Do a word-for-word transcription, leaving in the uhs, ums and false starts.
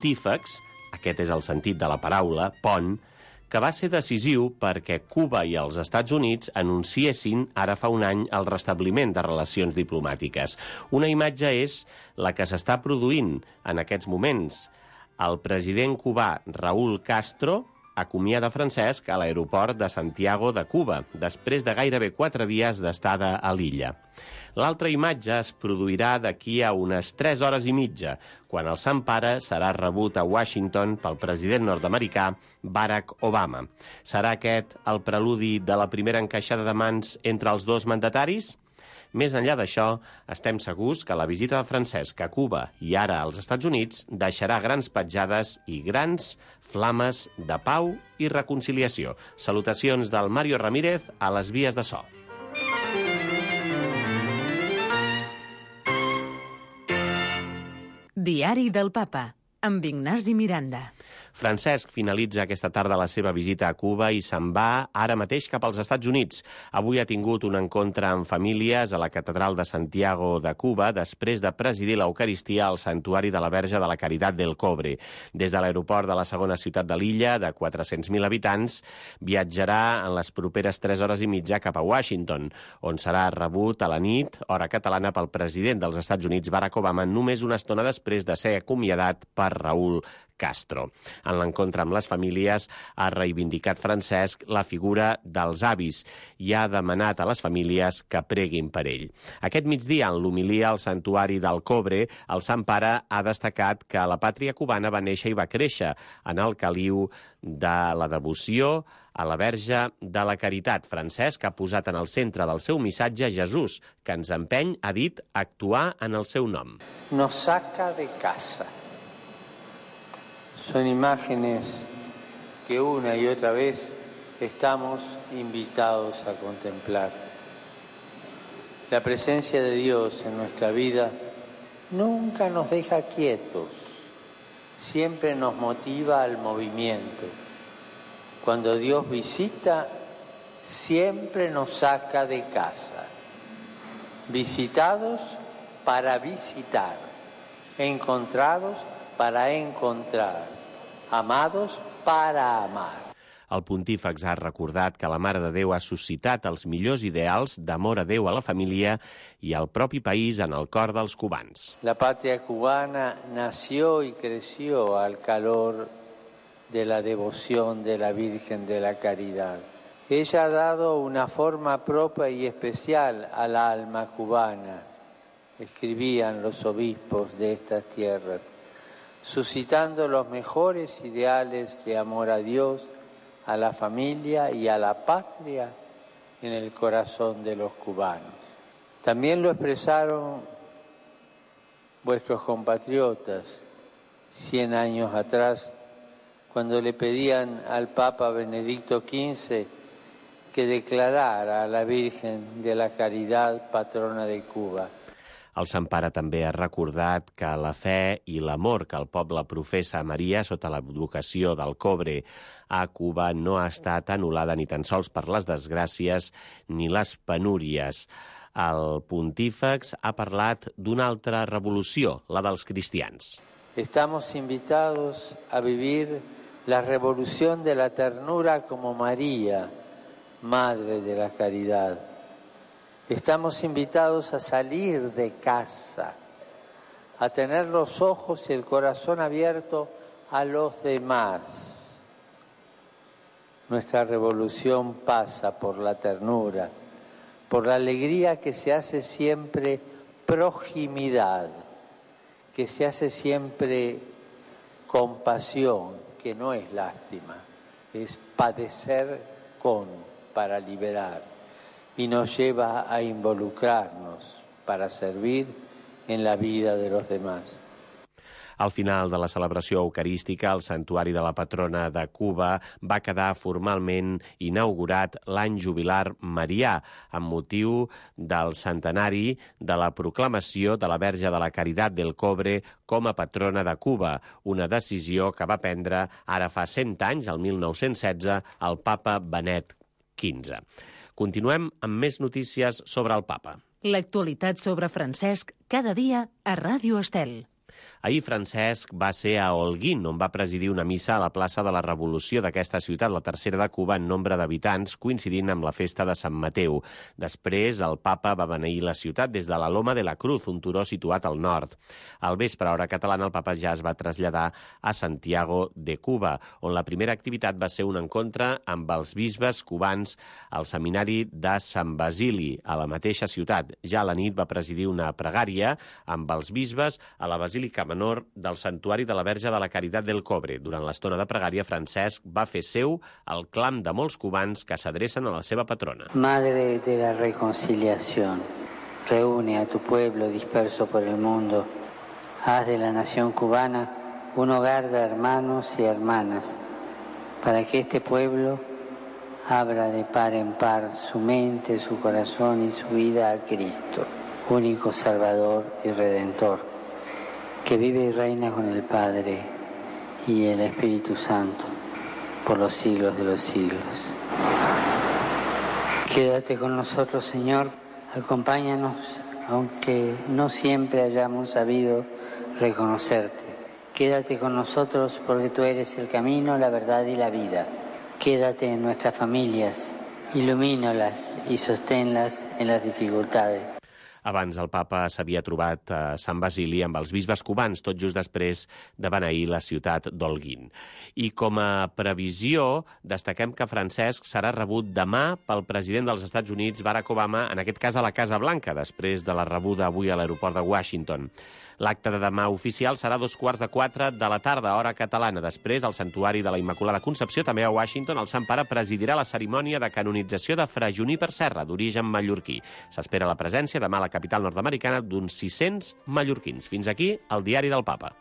pontífex, aquest és el sentit de la paraula, pont, que va ser decisiu perquè Cuba i els Estats Units anunciessin ara fa un any el restabliment de relacions diplomàtiques. Una imatge és la que s'està produint en aquests moments. El president cubà Raúl Castro acomiada Francesc a l'aeroport de Santiago de Cuba, després de gairebé quatre dies d'estada a l'illa. L'altra imatge es produirà d'aquí a unes tres hores i mitja, quan el Sant Pare serà rebut a Washington pel president nord-americà Barack Obama. Serà aquest el preludi de la primera encaixada de mans entre els dos mandataris? Més enllà d'això, estem segurs que la visita de Francesc a Cuba i ara als Estats Units deixarà grans petjades i grans flames de pau i reconciliació. Salutacions del Mario Ramírez a les vies de so. Diari del Papa, amb Ignasi Miranda. Francesc finalitza aquesta tarda la seva visita a Cuba i se'n va ara mateix cap als Estats Units. Avui ha tingut un encontre amb famílies a la Catedral de Santiago de Cuba després de presidir l'Eucaristia al Santuari de la Verge de la Caritat del Cobre. Des de l'aeroport de la segona ciutat de l'illa, de quatre-cents mil habitants, viatjarà en les properes tres hores i mitja cap a Washington, on serà rebut a la nit, hora catalana, pel president dels Estats Units, Barack Obama, només una estona després de ser acomiadat per Raúl Castro. En l'encontre amb les famílies ha reivindicat Francesc la figura dels avis i ha demanat a les famílies que preguin per ell. Aquest migdia, en l'homilia al Santuari del Cobre, el Sant Pare ha destacat que la pàtria cubana va néixer i va créixer en el caliu de la devoció a la Verge de la Caritat. Francesc ha posat en el centre del seu missatge Jesús, que ens empeny, ha dit, a actuar en el seu nom. Nos saca de casa. Son imágenes que una y otra vez estamos invitados a contemplar. La presencia de Dios en nuestra vida nunca nos deja quietos, siempre nos motiva al movimiento. Cuando Dios visita, siempre nos saca de casa. Visitados para visitar, encontrados para encontrar, amados para amar. El pontífex ha recordat que la Mare de Déu ha suscitat els millors ideals d'amor a Déu, a la família i al propi país en el cor dels cubans. La patria cubana nació y creció al calor de la devoción de la Virgen de la Caridad. Ella ha dado una forma propia y especial al alma cubana, escribían los obispos de estas tierras, suscitando los mejores ideales de amor a Dios, a la familia y a la patria en el corazón de los cubanos. También lo expresaron vuestros compatriotas cien años atrás, cuando le pedían al Papa Benedicto quince que declarara a la Virgen de la Caridad patrona de Cuba. El Sant Pare també ha recordat que la fe i l'amor que el poble professa a Maria sota l'advocació del Cobre a Cuba no ha estat anul·lada ni tan sols per les desgràcies ni les penúries. El pontífex ha parlat d'una altra revolució, la dels cristians. Estamos invitados a vivir la revolución de la ternura como María, Madre de la Caridad. Estamos invitados a salir de casa, a tener los ojos y el corazón abierto a los demás. Nuestra revolución pasa por la ternura, por la alegría que se hace siempre proximidad, que se hace siempre compasión, que no es lástima, es padecer con, para liberar. Y nos lleva a involucrarnos para servir en la vida de los demás. Al final de la celebració eucarística, el Santuari de la Patrona de Cuba va quedar formalment inaugurat l'any jubilar marià, amb motiu del centenari de la proclamació de la Verge de la Caritat del Cobre com a patrona de Cuba, una decisió que va prendre ara fa cent anys, el mil nou-cents setze, el papa Benet quinze. Continuem amb més notícies sobre el papa. L'actualitat sobre Francesc cada dia a Ràdio Estel. Ahir Francesc va ser a Holguín, on va presidir una missa a la plaça de la Revolució d'aquesta ciutat, la tercera de Cuba en nombre d'habitants, coincidint amb la festa de Sant Mateu. Després, el papa va beneir la ciutat des de la Loma de la Cruz, un turó situat al nord. Al vespre, a hora catalana, el papa ja es va traslladar a Santiago de Cuba, on la primera activitat va ser un encontre amb els bisbes cubans al seminari de Sant Basili, a la mateixa ciutat. Ja a la nit va presidir una pregària amb els bisbes a la Basílica Menor del Santuari de la Verge de la Caritat del Cobre. Durant l'estona de pregària, Francesc va fer seu el clam de molts cubans que s'adrecen a la seva patrona. Madre de la reconciliación, reúne a tu pueblo disperso por el mundo. Haz de la nación cubana un hogar de hermanos y hermanas, para que este pueblo abra de par en par su mente, su corazón y su vida a Cristo, único Salvador y Redentor, que vive y reina con el Padre y el Espíritu Santo por los siglos de los siglos. Quédate con nosotros, Señor, acompáñanos, aunque no siempre hayamos sabido reconocerte. Quédate con nosotros porque tú eres el camino, la verdad y la vida. Quédate en nuestras familias, ilumínalas y sosténlas en las dificultades. Abans el papa s'havia trobat a Sant Basili amb els bisbes cubans, tot just després de beneir la ciutat d'Holguín. I com a previsió, destaquem que Francesc serà rebut demà pel president dels Estats Units, Barack Obama, en aquest cas a la Casa Blanca, després de la rebuda avui a l'aeroport de Washington. L'acte de demà oficial serà a dos quarts de quatre de la tarda, hora catalana. Després, al Santuari de la Immaculada Concepció, també a Washington, el Sant Pare presidirà la cerimònia de canonització de Fra Juníper Serra, d'origen mallorquí. S'espera la presència demà a la capital nord-americana d'uns sis-cents mallorquins. Fins aquí el Diari del Papa.